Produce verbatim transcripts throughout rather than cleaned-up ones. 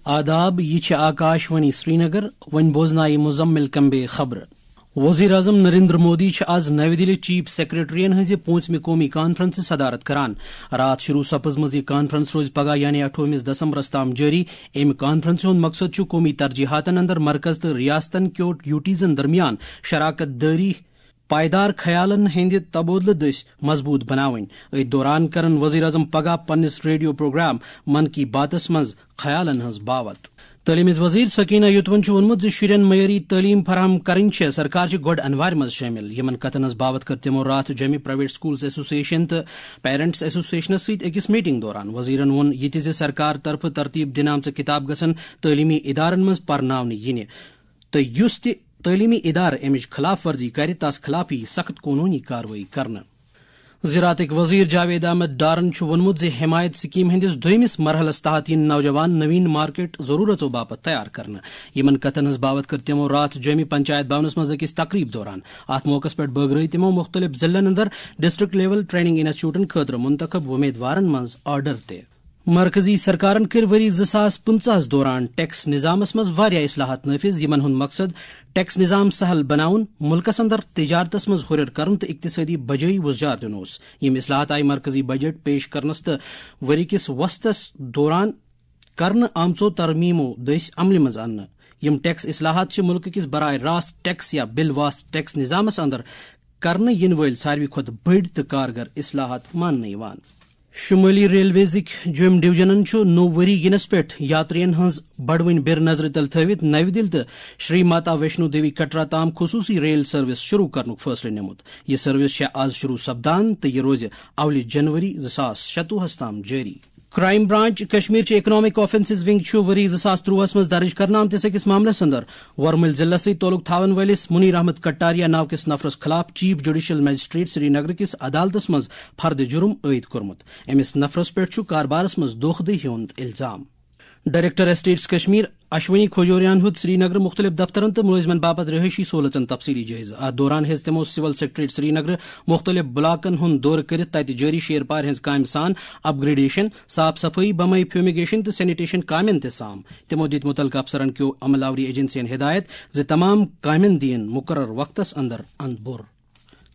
آداب، یہِ چھِ آکاش وانی سرینگر۔ وۄنۍ بوزنایہِ مزمل کمبے خبرٕ۔ وزیر اعظم نریندر مودی چھِ آز نَوِ دِلہِ چیف سیکرٹریَن ہٕنٛزِ پوٗنٛژمہِ قومی کانفرنسہِ صدارت کران۔ راتھ شروع سپٕزمٕژ یہِ کانفرنس روزِ پگاہ یعنی اَٹھووُہمِس دسمبرس تام جٲری۔ اَمہِ کانفرنسہِ ہُنٛد مقصد چھُ قومی ترجیحاتن اندر مرکز تہٕ ریاستن کیو ڈیوٹیزن درمیان شراکت دٲری پائیدار خیالن ہٕنٛدِ تبادلہٕ دٔسۍ مضبوٗط بناوٕنۍ۔ أتھۍ دوران کرن وزیر اعظم پگاہ پننِس ریڈیو پروگرام من کی باتس منٛز خیالن ہٕنٛز باوت۔ تعلیٖم ہٕنٛز وزیر سکینہ یوتون چھُ ووٚنمُت زِ شُرٮ۪ن معیٲری تعلیٖم فراہم کرٕنۍ چھےٚ سرکار چہِ گۄڈٕ انوارِ منٛز شٲمِل۔ یِمن کتھن ہٕنٛز باوت کٔر تِمو راتھ جوٚمہِ پرائیویٹ سکولز ایسوسیشن تہٕ پیرنٹس ایسوسیشنس سۭتۍ أکِس میٹنگ دوران۔ وزیرن ووٚن یہِ تہِ زِ سرکار طرفہٕ ترتیب دِنہٕ آمژٕ کتاب گژھن تعلیٖمی ادارن منٛز پرناونہٕ یِنہِ تہٕ یُس تہِ تعلیٖمی ادارٕ امِچ خلاف ورزی کرِ، تس خلاف یِیہِ سخت قونوٗنی کاروٲیی کرنہٕ۔ زراعتٕکۍ وزیر جاوید احمد ڈارن چھُ ووٚنمُت زِ حمایت سکیم ہٕنٛدِس دوٚیمِس مرحلس تحت یِن نوجوان نوین مارکیٹ ضرورژو باپتھ تیار کرنہٕ۔ یِمن کتھن ہٕنٛز باوت کٔر تِمو راتھ جوٚمہِ پنچایت بھونس منٛز أکِس تقریب دوران۔ اتھ موقعس پٮ۪ٹھ بٲگرٲوۍ تِمو مُختٔلِف ضلعن اندر ڈسٹرکٹ لیول ٹریننگ انسٹیٹیوٹن خٲطرٕ منتخب وۄمیدوارن منٛز آرڈر تہِ۔ مرکزی سرکارن کٔرۍ ؤری زٕ ساس پٕنٛژٕہس دوران ٹیکس نظامس منٛز واریاہ اصلاحات نافذ، یِمن ہُنٛد مقصد ٹیکس نظام سہل بناوُن، مُلکس اندر تجارتس منٛز ہُرٮ۪ر کرُن تہٕ اقتصٲدی بجٲیی وُزجار دیُن اوس۔ یِم اصلاحات آیہِ مرکزی بجٹ پیش کرنس تہٕ ؤری کِس وسطس دوران کرنہٕ آمژو ترمیمو دٔسۍ عملہِ منٛز اننہٕ۔ یِم ٹیکس اصلاحات چھِ مُلکہٕ کِس براہ راست ٹیکس یا بِل واست ٹیکس نظامس اندر کرنہٕ یِنہٕ وٲلۍ ساروی کھۄتہٕ بٔڑۍ تہٕ کارگر اصلاحات ماننہٕ یِوان۔ شمٲلی ریلویزٕکۍ جوٚم ڈویژنن چھُ نوٚو ؤری ینس پٮ۪ٹھ یاترین ہٕنٛز بڑوٕنۍ بیر نظرِ تل تھٲوِتھ نَوِ دِلہِ تہٕ شری ماتا ویشنو دیوی کٹرا تام خصوٗصی ریل سروس شروع کرنُک فٲصلہٕ نیومُت۔ یہِ سروس چھےٚ آز شروع سپدان تہٕ یہِ روزِ اولہِ جنوری زٕ ساس شتوُہس تام جٲری۔ کرائم برانچ کشمیر چہِ اکنامک آفنسز ونگ چھُ ؤری زٕ ساس ترٛۆہس منٛز درج کرنہٕ آمتِس أکِس معاملس اندر ورمُلۍ ضلعس سۭتۍ تعلق تھاون وٲلِس منیر احمد کٹاریا ناو کِس نفرس خلاف چیف جوڈیشل مجسٹریٹ سری نگر کِس عدالتس منٛز فرد جرم عائد کوٚرمُت۔ أمِس نفرس پٮ۪ٹھ چھُ کاربارس منٛز دھوکہ دہی ہُنٛد الزام۔ ڈائریکٹر اسٹیٹس کشمیر اشونی کھوجوریان ہیوٚت سری نگر مُختٔلِف دفترن تہٕ مُلٲزمن باپتھ رہٲیشی سہولژن تفصیلی جٲیزٕ۔ اتھ دوران ہیٚژ تِمو سول سیکرٹریٹ سری نگر مُختٔلِف بلاکن ہُنٛد دورٕ کٔرِتھ تتہِ جٲری شیر پارِ ہٕنٛز کامہِ سان اپ گریڈیشن، صاف صفٲیی، بمے فیومیگیشن تہٕ سینیٹیشن کامٮ۪ن تہِ سام۔ تِمو دِتۍ مُتعلقہٕ افسرن کیو عمل آوری ایجنسین ہدایت زِ تمام کامٮ۪ن دِیِن مُقرر وقتس اندر اند بور۔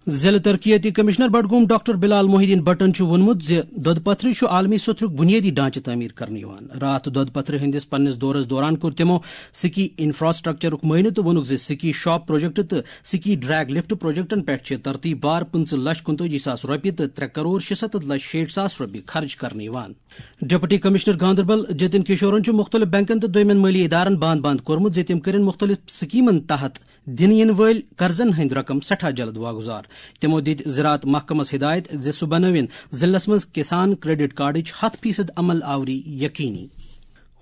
ضلع ترقیتی کمشنر بڈگوم ڈاکٹر بلال محی الدین بٹن چھُ ووٚنمُت زِ دۄدٕ پتھرِ چھُ عالمی سوٚتھرُک بُنیٲدی ڈھانچہٕ تعمیٖر کرنہٕ یِوان۔ راتھ دۄدٕ پتھرِ ہٕنٛدِس پننِس دورس دوران کوٚر تِمو سکی انفراسٹرکچرُک معائنہٕ تہٕ ووٚنُکھ زِ سکی شاپ پروجیکٹ تہٕ سکی ڈریگ لفٹ پروجیکٹن پٮ۪ٹھ چھِ ترتیب وار پٕنٛژٕہ لچھ کُنتٲجی ساس رۄپیہِ تہٕ ترٛےٚ کرور شُسَتتھ لچھ شیٹھ ساس رۄپیہِ خرٕچ کرنہٕ یِوان۔ ڈپٹی کمشنر گاندربل جتن کشورن چھُ مُختٔلِف بینکن تہٕ دوٚیمٮ۪ن مٲلی ادارن بند بند کوٚرمُت زِ تِم کٔرِن مُختٔلِف سکیمن تحت دِنہٕ یِنہٕ وٲلۍ قرضن ہٕنٛدۍ رقم سٮ۪ٹھاہ جلد واگُزار۔ تِمو دِتۍ زراعت محکمس ہدایت زِ سُہ بنٲوِن ضلعس منٛز کسان کریڈٹ کارڈٕچ ہتھ فیصد عمل آوری یقینی۔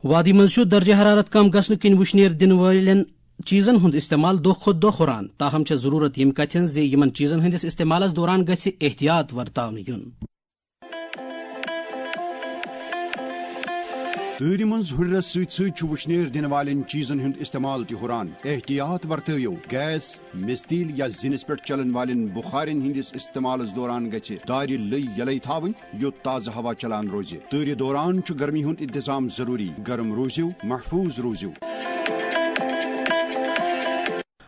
وادی منٛز چھُ درجہ حرارت کم گژھنہٕ کِنۍ وُشنیر دِنہٕ وٲلٮ۪ن چیزن ہُنٛد استعمال دۄہ کھۄتہٕ دۄہ ہُران، تاہم چھےٚ ضروٗرت ییٚمہِ کتھِ ہٕنٛز زِ یِمن چیزن ہٕنٛدِس استعمالس دوران گژھِ احتیاط ورتاونہٕ یُن۔ تۭرِ منٛز ہُرٮ۪رس سۭتۍ سۭتۍ چھُ وُشنیر دِنہٕ والٮ۪ن چیزن ہُنٛد استعمال تہِ ہُران۔ احتیاط ورتٲوِو۔ گیس، مِستیٖل یا زِنِس پٮ۪ٹھ چلن والٮ۪ن بُخارٮ۪ن ہٕنٛدِس استعمالس دوران گژھِ دارِ لٔے یلے تھاوٕنۍ، یوٚت تازٕ ہوا چلان روزِ۔ تۭرِ دوران چھُ گرمی ہُنٛد انتظام ضروٗری۔ گرم روٗزِو، محفوٗظ روٗزِو۔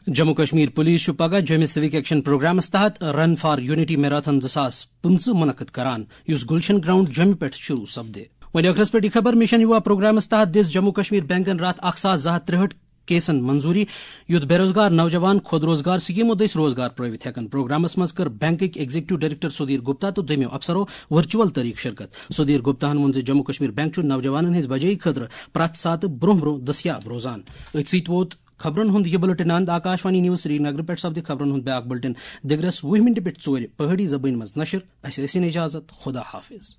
جموں کشمیر پولیس چھُ پگاہ جوٚمہِ سِوک ایکشن پروگرامس تحت رن فار یونٹی میراتھن زٕ ساس پٕنٛژٕہ منعقد کران، یُس گلشن گراؤنڈ جوٚمہِ پٮ۪ٹھ شروع سپدِ۔ وۄنۍ ٲخرس پٮ۪ٹھ یہِ خبر، مشن یووا پروگرامس تحت دِژ جموں کشمیر بینکن راتھ اکھ ساس زٕ ہتھ ترٛہٲٹھ کیسن منظوری، یُتھ بے روزگار نوجوان خود روزگار سکیمو دٔسۍ روزگار پرٲوِتھ ہٮ۪کن۔ پروگرامس منٛز کٔر بینکٕکۍ ایگزیکٹو ڈائریکٹر سودھیر گپتا تہٕ دوٚیمٮ۪و افسرو ورچوئل طریقہٕ شرکت۔ سودھیر گپتاہن ووٚن زِ جموں کشمیر بینک چھُ نوجوانن ہٕنٛزِ بجٲیی خٲطرٕ پرٛٮ۪تھ ساتہٕ برونٛہہ برونٛہہ دٔستیاب روزان۔ أتھۍ سۭتۍ ووت خبرن ہُنٛد یہِ بلیٹن اند۔ آکاش وانی نیوز سرینگرٕ پٮ۪ٹھ سپدِ خبرن ہُنٛد بیاکھ بلیٹن دِگرس وُہہِ منٹہِ پٮ۪ٹھ ژورِ پہٲڑی زبٲنۍ منٛز نشر۔ اسہِ ٲسِن اجازت، خدا حافظ۔